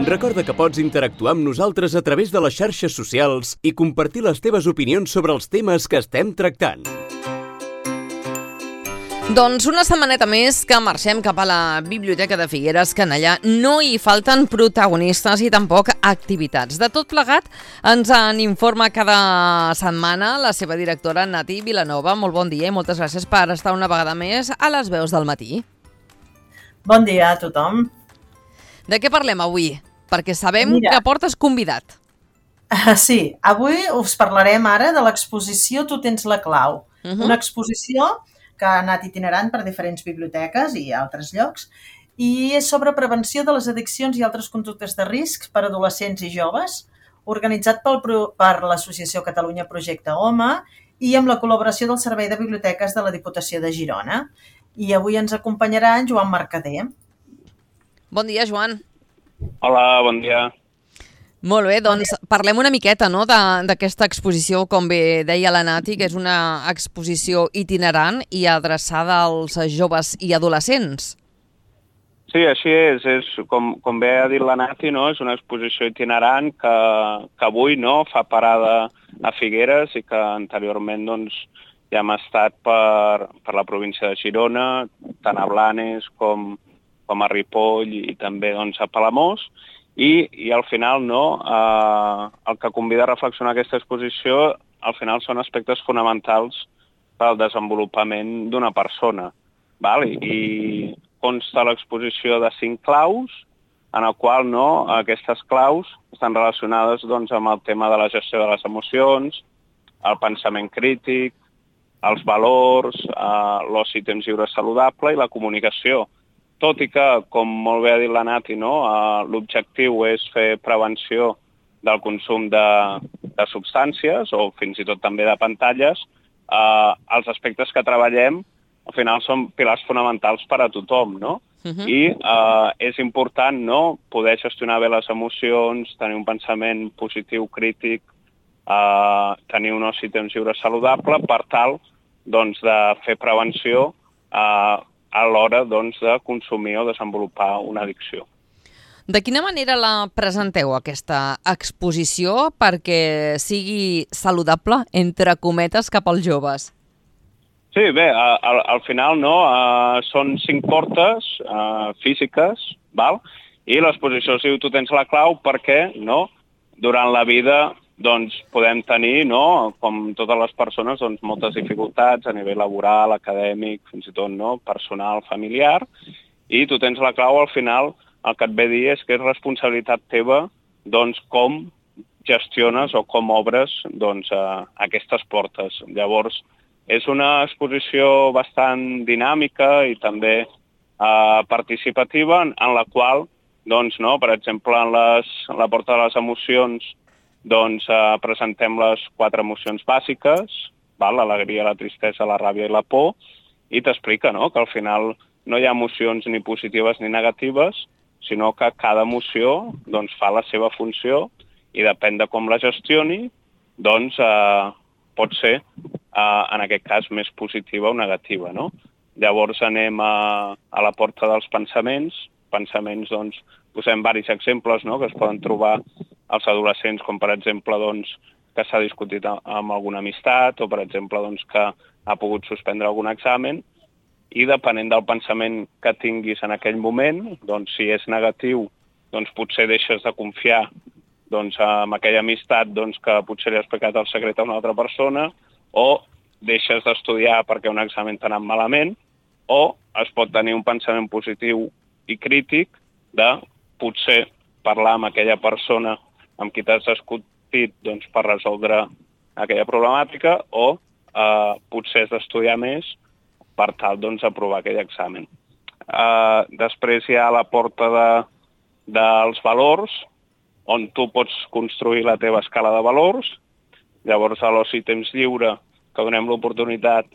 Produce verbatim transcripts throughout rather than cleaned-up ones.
Recorda que pots interactuar amb nosaltres a través de les xarxes socials i compartir les teves opinions sobre els temes que estem tractant. Doncs una setmaneta més que marxem cap a la Biblioteca de Figueres, que en allà no hi falten protagonistes i tampoc activitats. De tot plegat ens en informa cada setmana la seva directora Nati Vilanova. Molt bon dia i moltes gràcies per estar una vegada més a les veus del matí. Bon dia a tothom. De què parlem avui? Perquè sabem Mira, que portes convidat. Sí, avui us parlarem ara de l'exposició Tu tens la clau. Uh-huh. Una exposició que ha anat itinerant per diferents biblioteques i altres llocs, i és sobre prevenció de les addiccions i altres conductes de risc per a adolescents i joves, organitzat pel, per l'Associació Catalunya Projecte Home i amb la col·laboració del Servei de Biblioteques de la Diputació de Girona. I avui ens acompanyarà en Joan Mercader. Bon dia, Joan. Hola, bon dia. Molt bé, doncs parlem una miqueta, no?, d'aquesta exposició, com bé deia la Nati, que és una exposició itinerant i adreçada als joves i adolescents. Sí, així és. és com, com bé ha dit la Nati, no? És una exposició itinerant que, que avui no, fa parada a Figueres i que anteriorment doncs, ja hem estat per, per la província de Girona, tant a Blanes com, com a Ripoll i també doncs, a Palamós. I, i al final, no, eh, el que convida a reflexionar aquesta exposició, al final són aspectes fonamentals pel desenvolupament d'una persona. Val? I consta l'exposició de cinc claus, en el qual no, aquestes claus estan relacionades doncs, amb el tema de la gestió de les emocions, el pensament crític, els valors, eh, l'oci i temps lliure saludable i la comunicació. Tot i que, com molt bé ha dit la Nati, no, uh, l'objectiu és fer prevenció del consum de, de substàncies o fins i tot també de pantalles, uh, els aspectes que treballem al final són pilars fonamentals per a tothom, no? Uh-huh. I uh, és important, no, poder gestionar bé les emocions, tenir un pensament positiu, crític, uh, tenir un oci i temps lliure saludable per tal doncs, de fer prevenció uh, a l'hora doncs, de consumir o desenvolupar una addicció. De quina manera la presenteu, aquesta exposició, perquè sigui saludable, entre cometes, cap als joves? Sí, bé, al, al final no, uh, són cinc portes uh, físiques, val? I l'exposició es diu Tu tens la clau perquè no, durant la vida doncs, podem tenir, no, com totes les persones, doncs, moltes dificultats a nivell laboral, acadèmic, fins i tot no, personal, familiar, i tu tens la clau al final, el que et ve a dir és que és responsabilitat teva doncs, com gestiones o com obres doncs, eh, aquestes portes. Llavors, és una exposició bastant dinàmica i també eh, participativa, en, en la qual, doncs, no, per exemple, en, les, en la porta de les emocions, doncs eh, presentem les quatre emocions bàsiques, val? L'alegria, la tristesa, la ràbia i la por, i t'explica no? que al final no hi ha emocions ni positives ni negatives, sinó que cada emoció doncs, fa la seva funció i depèn de com la gestioni, doncs eh, pot ser, eh, en aquest cas, més positiva o negativa. No? Llavors anem a, a la porta dels pensaments. Pensaments, doncs, posem diversos exemples no? que es poden trobar als adolescents, com per exemple doncs, que s'ha discutit amb alguna amistat o per exemple doncs, que ha pogut suspendre algun examen, i depenent del pensament que tinguis en aquell moment, doncs, si és negatiu, doncs, potser deixes de confiar doncs, en aquella amistat doncs, que potser li ha explicat el secret a una altra persona, o deixes d'estudiar perquè un examen t'ha anat malament, o es pot tenir un pensament positiu i crític de potser parlar amb aquella persona amb qui t'has discutit doncs, per resoldre aquella problemàtica, o eh, potser has d'estudiar més per tal doncs, aprovar aquell examen. Eh, després hi ha la porta de, dels valors, on tu pots construir la teva escala de valors. Llavors, a l'oci i temps lliure, que donem l'oportunitat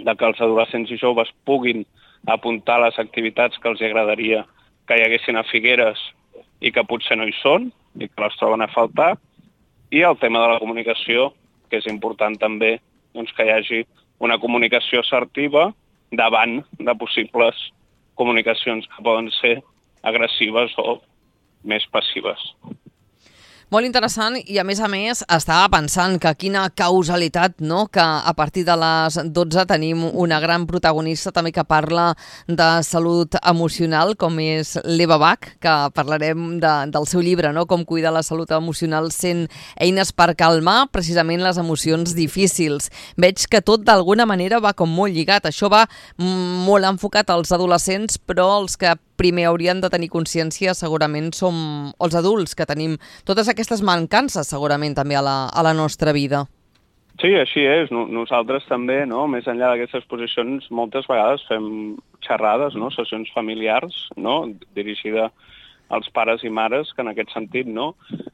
de que els adolescents i joves puguin apuntar les activitats que els agradaria que hi haguessin a Figueres i que potser no hi són i que les troben a faltar. I el tema de la comunicació, que és important també doncs, que hi hagi una comunicació assertiva davant de possibles comunicacions que poden ser agressives o més passives. Molt interessant i, a més a més, estava pensant que quina causalitat, no?, que a partir de les dotze tenim una gran protagonista també que parla de salut emocional, com és l'Eva Bach, que parlarem de, del seu llibre, no?, Com cuidar la salut emocional cent eines per calmar precisament les emocions difícils. Veig que tot d'alguna manera va com molt lligat. Això va molt enfocat als adolescents, però els que primer haurien de tenir consciència segurament som els adults, que tenim totes aquestes mancances segurament també a la, a la nostra vida. Sí, així és. Nosaltres també, no? Més enllà d'aquestes posicions, moltes vegades fem xerrades, no? Sessions familiars, no? Dirigida als pares i mares, que en aquest sentit, no?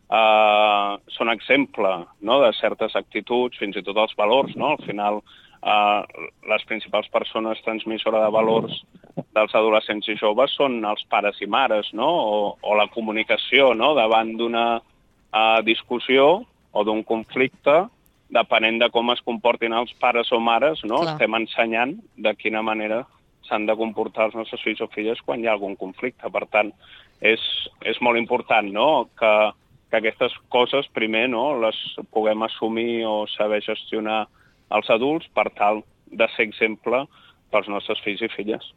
Uh, són exemple, no?, de certes actituds, fins i tot els valors, no? Al final, Uh, les principals persones transmissores de valors dels adolescents i joves són els pares i mares, no? O, o la comunicació, no?, davant d'una uh, discussió o d'un conflicte, depenent de com es comportin els pares o mares, no? Clar. Estem ensenyant de quina manera s'han de comportar els nostres fills o filles quan hi ha algun conflicte. Per tant, és, és molt important, no?, que, que aquestes coses primer, no?, les puguem assumir o saber gestionar els adults per tal de ser exemple pels nostres fills i filles.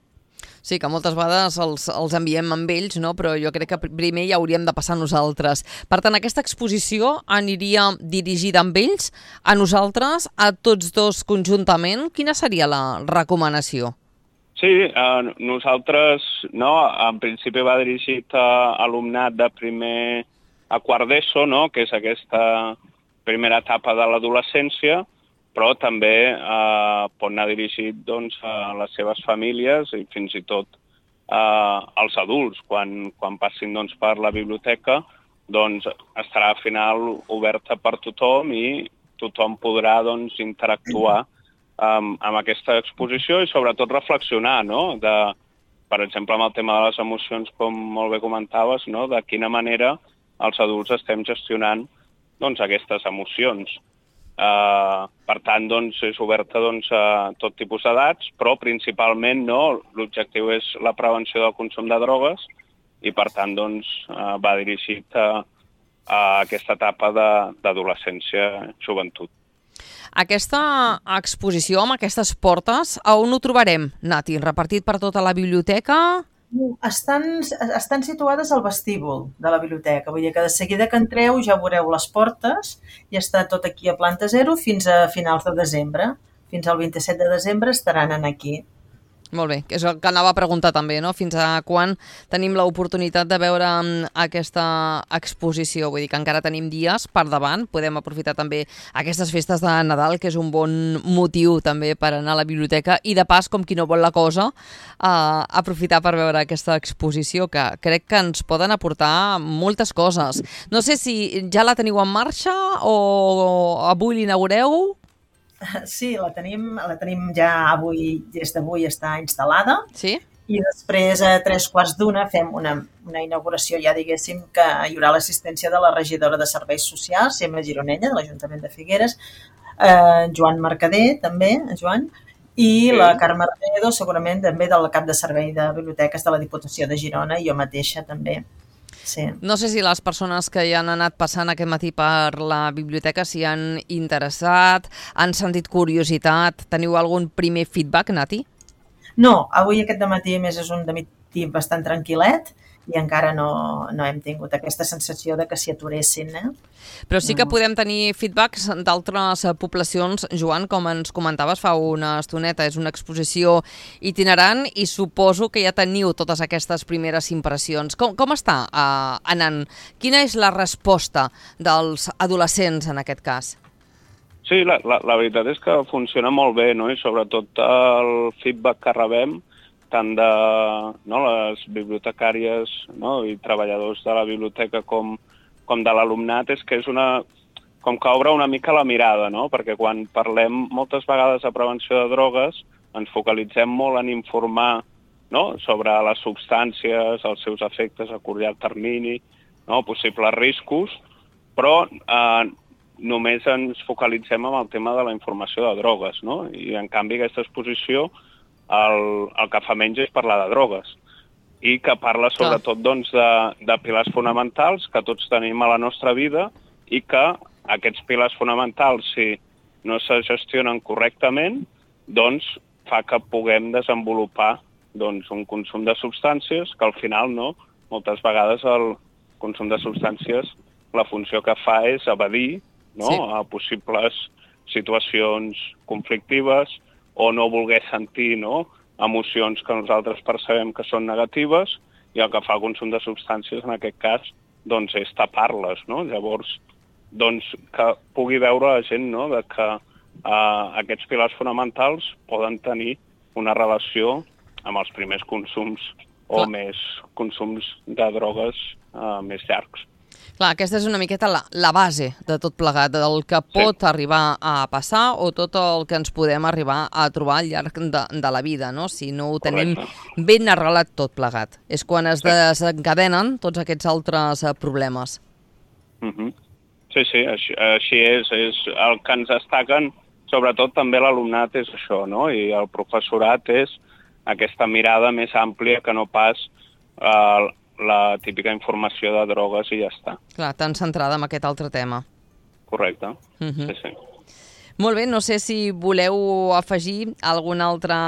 Sí, que moltes vegades els, els enviem amb ells, no? Però jo crec que primer ja hauríem de passar nosaltres. Per tant, aquesta exposició aniria dirigida amb ells, a nosaltres, a tots dos conjuntament. Quina seria la recomanació? Sí, eh, nosaltres, no, en principi va dirigit a alumnat de primer a quart d'ESO, no?, que és aquesta primera etapa de l'adolescència, però també eh, pot anar dirigit, doncs, a les seves famílies i fins i tot eh, als adults. Quan, quan passin, doncs, per la biblioteca, doncs, estarà al final oberta per tothom i tothom podrà, doncs, interactuar amb, amb aquesta exposició i sobretot reflexionar, no?, de, per exemple, amb el tema de les emocions, com molt bé comentaves, no?, de quina manera els adults estem gestionant, doncs, aquestes emocions. Uh, per tant, doncs, és oberta, doncs, a tot tipus d'edats, però principalment, no, l'objectiu és la prevenció del consum de drogues i, per tant, doncs, uh, va dirigit a, a aquesta etapa d'adolescència, joventut. Aquesta exposició amb aquestes portes, a on ho trobarem, Nati? Repartit per tota la biblioteca? Estan, estan situades al vestíbul de la biblioteca, vull dir que de seguida que entreu ja veureu les portes i està tot aquí a planta zero fins a finals de desembre. Fins al vint-i-set de desembre estaran aquí. Molt bé, que és el que anava a preguntar també, no? Fins a quan tenim l'oportunitat de veure aquesta exposició? Vull dir que encara tenim dies per davant, podem aprofitar també aquestes festes de Nadal, que és un bon motiu també per anar a la biblioteca i de pas, com qui no vol la cosa, eh, aprofitar per veure aquesta exposició, que crec que ens poden aportar moltes coses. No sé si ja la teniu en marxa o avui l'inaugureu. Sí, la tenim, la tenim ja avui, des d'avui està instal·lada. Sí? I després a tres quarts d'una fem una, una inauguració, ja diguéssim, que hi haurà l'assistència de la regidora de Serveis Socials, Gemma Gironella, de l'Ajuntament de Figueres, eh, Joan Mercader, també, Joan, i sí. La Carme Redo, segurament també del cap de servei de biblioteques de la Diputació de Girona, i jo mateixa també. Sí. No sé si les persones que hi han anat passant aquest matí per la biblioteca s'hi han interessat, han sentit curiositat. Teniu algun primer feedback, Nati? No, avui aquest dematí més és un dematí bastant tranquil·let i encara no, no hem tingut aquesta sensació de que s'hi aturessin. Eh? Però sí que podem tenir feedbacks d'altres poblacions. Joan, com ens comentaves fa una estoneta, és una exposició itinerant i suposo que ja teniu totes aquestes primeres impressions. Com, com està uh, anant? Quina és la resposta dels adolescents en aquest cas? Sí, la, la, la veritat és que funciona molt bé, no? I sobretot el feedback que rebem tant de, no, les bibliotecàries, no, i treballadors de la biblioteca com, com de l'alumnat, és que és una, com que obre una mica la mirada, no? Perquè quan parlem moltes vegades de prevenció de drogues ens focalitzem molt en informar, no, sobre les substàncies, els seus efectes a curt i llarg termini, no, possibles riscos, però eh, només ens focalitzem en el tema de la informació de drogues, no? I en canvi aquesta exposició el, el que fa menys és parlar de drogues. i que parla sobretot doncs, de, de pilars fonamentals que tots tenim a la nostra vida i que aquests pilars fonamentals, si no se gestionen correctament, doncs fa que puguem desenvolupar doncs, un consum de substàncies que al final, no, moltes vegades el consum de substàncies la funció que fa és evadir, no, sí, a possibles situacions conflictives o no voler sentir, no, emocions que nosaltres percebem que són negatives, i el que fa el consum de substàncies en aquest cas doncs, és tapar-les. No? Llavors, doncs, que pugui veure la gent, no, de que eh, aquests pilars fonamentals poden tenir una relació amb els primers consums o Clar. més consums de drogues eh, més llargs. Clar, aquesta és una miqueta la, la base de tot plegat, del que pot sí. arribar a passar o tot el que ens podem arribar a trobar al llarg de, de la vida, no? Si no ho tenim Correcte. ben arrelat tot plegat. És quan es sí. desencadenen tots aquests altres problemes. Mm-hmm. Sí, sí, així, així és. És el que ens destaquen, sobretot també l'alumnat és això, no? I el professorat és aquesta mirada més àmplia que no pas eh, la típica informació de drogues i ja està. Clar, tan centrada en aquest altre tema. Correcte, uh-huh. sí, sí. Molt bé, no sé si voleu afegir alguna altra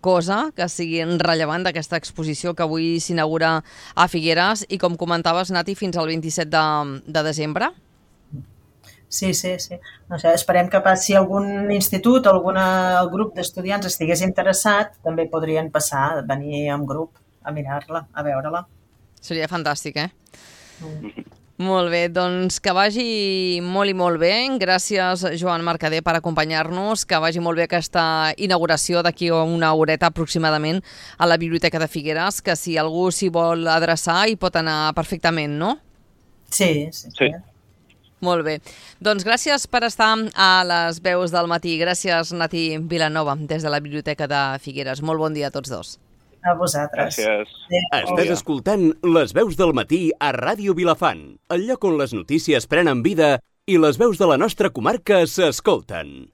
cosa que sigui rellevant d'aquesta exposició que avui s'inaugura a Figueres i, com comentaves, Nati, fins al vint-i-set de, de desembre? Sí, sí, sí. No sé, esperem que si algun institut o alguna, el grup d'estudiants estigués interessat, també podrien passar, venir en grup a mirar-la, a veure-la. Seria fantàstic, eh? Mm. Molt bé, doncs que vagi molt i molt bé. Gràcies, Joan Mercader, per acompanyar-nos. Que vagi molt bé aquesta inauguració d'aquí a una horeta aproximadament a la Biblioteca de Figueres, que si algú s'hi vol adreçar hi pot anar perfectament, no? Sí, sí, sí. sí. Molt bé. Doncs gràcies per estar a les veus del matí. Gràcies, Nati Vilanova, des de la Biblioteca de Figueres. Molt bon dia a tots dos. A vosaltres. Gràcies. Estàs escoltant Les veus del matí a Ràdio Vilafant, el lloc on les notícies prenen vida i les veus de la nostra comarca s'escolten.